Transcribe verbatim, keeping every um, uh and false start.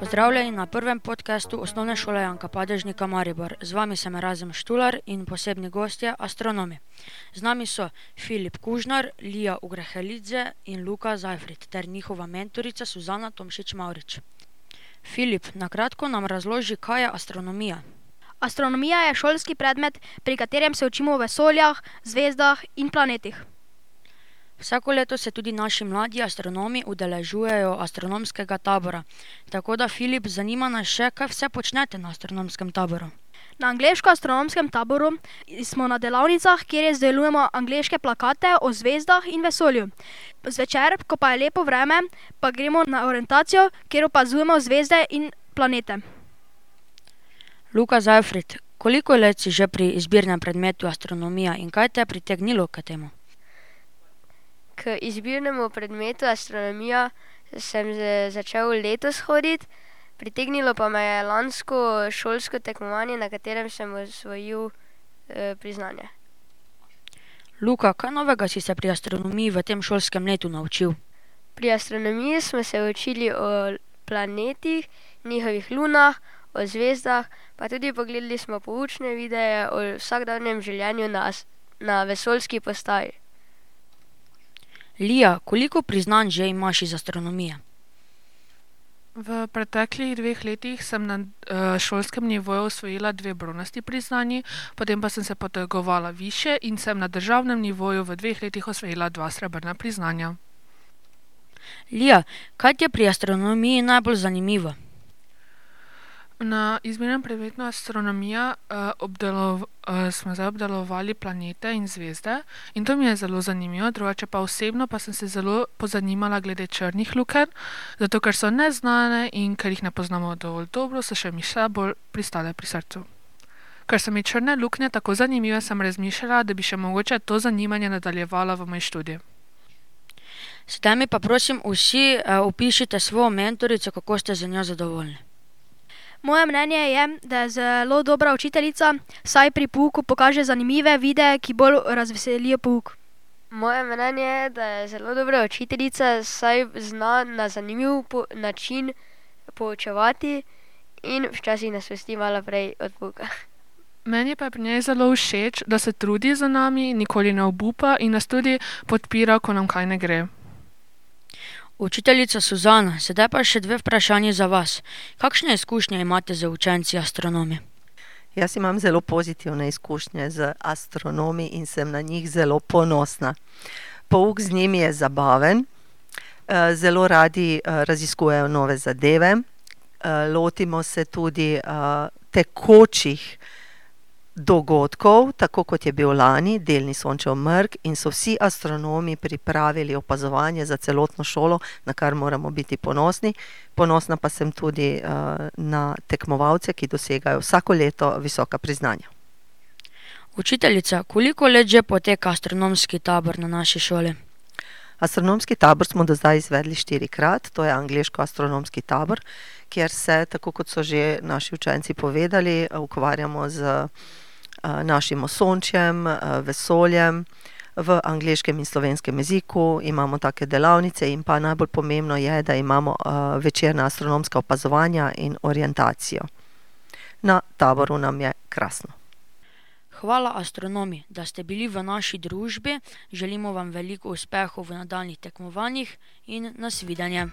Pozdravljeni na prvem podcastu Osnovne šole Janka Padežnika Maribor. Z vami sem Erazem Štular in posebni gostje astronomi. Z nami so Filip Kužnar, Lija Ugrehelidze in Luka Zajfrid ter njihova mentorica Suzana Tomšič-Mavrič. Filip, na kratko nam razloži, kaj je astronomija. Astronomija je šolski predmet, pri katerem se učimo o vesoljah, zvezdah in planetih. Vsako leto se tudi naši mladi astronomi udeležujejo astronomskega tabora. Tako da, Filip, zanima nas še, kaj vse počnete na astronomskem taboru. Na angleško-astronomskem taboru smo na delavnicah, kjer izdelujemo angleške plakate o zvezdah in vesolju. Zvečer, ko pa je lepo vreme, pa gremo na orientacijo, kjer opazujemo zvezde in planete. Luka Zajfrid, koliko let si že pri izbirnem predmetu astronomija in kaj te je pritegnilo k temu? K izbirnemu predmetu astronomija sem začel letos hoditi, pritegnilo pa me je lansko šolsko tekmovanje, na katerem sem osvojil eh, priznanje. Luka, kaj novega si se pri astronomiji v tem šolskem letu naučil? Pri astronomiji smo se učili o planetih, njihovih lunah, o zvezdah, pa tudi pogledali smo poučne videe o vsakdanjem življenju na, na vesoljski postaji. Lija, koliko priznanj že imaš iz astronomije? V preteklih dveh letih sem na uh, šolskem nivoju osvojila dve bronasti priznanji, potem pa sem se potegovala više in sem na državnem nivoju v dveh letih osvojila dva srebrna priznanja. Lija, kaj ti je pri astronomiji najbolj zanimivo? Na izbirnem predmetu astronomija uh, obdelov, uh, smo zdaj obdelovali planete in zvezde in to mi je zelo zanimivo, drugače pa osebno pa sem se zelo pozanimala glede črnih lukenj, zato ker so neznane in ker jih ne poznamo dovolj dobro, so še mi še bolj pristale pri srcu. Ker so mi črne luknje tako zanimive, sem razmišljala, da bi še mogoče to zanimanje nadaljevala v moj študij. Sedaj mi pa prosim vsi uh, opišite svojo mentorico, kako ste za njo zadovoljni. Moje mnenje je, da je zelo dobra učiteljica, saj pri pouku pokaže zanimive videe, ki bolj razveselijo pouk. Moje mnenje je, da je zelo dobra učiteljica, saj zna na zanimiv po- način poučevati in včasih nas pusti malo prej od pouka. Meni pa je pri njej zelo všeč, da se trudi za nami, nikoli ne obupa in nas tudi podpira, ko nam kaj ne gre. Učiteljica Suzana, sedaj pa še dve vprašanji za vas. Kakšne izkušnje imate z učenci astronomi? Jaz imam zelo pozitivne izkušnje z astronomi in sem na njih zelo ponosna. Pouk z njimi je zabaven, zelo radi raziskujejo nove zadeve, lotimo se tudi tekočih dogodkov, tako kot je bil lani, delni Sončev mrk, in so vsi astronomi pripravili opazovanje za celotno šolo, na kar moramo biti ponosni. Ponosna pa sem tudi uh, na tekmovalce, ki dosegajo vsako leto visoka priznanja. Učiteljica, koliko let že poteka astronomski tabor na naši šoli? Astronomski tabor smo do zdaj izvedli štirikrat, to je angleško-astronomski tabor, kjer se, tako kot so že naši učenci povedali, ukvarjamo z našim osončjem, vesoljem, v angleškem in slovenskem jeziku, imamo take delavnice in pa najbolj pomembno je, da imamo večerna astronomska opazovanja in orientacijo. Na taboru nam je krasno. Hvala astronomi, da ste bili v naši družbi, želimo vam veliko uspehov v nadaljnjih tekmovanjih in nasvidenje.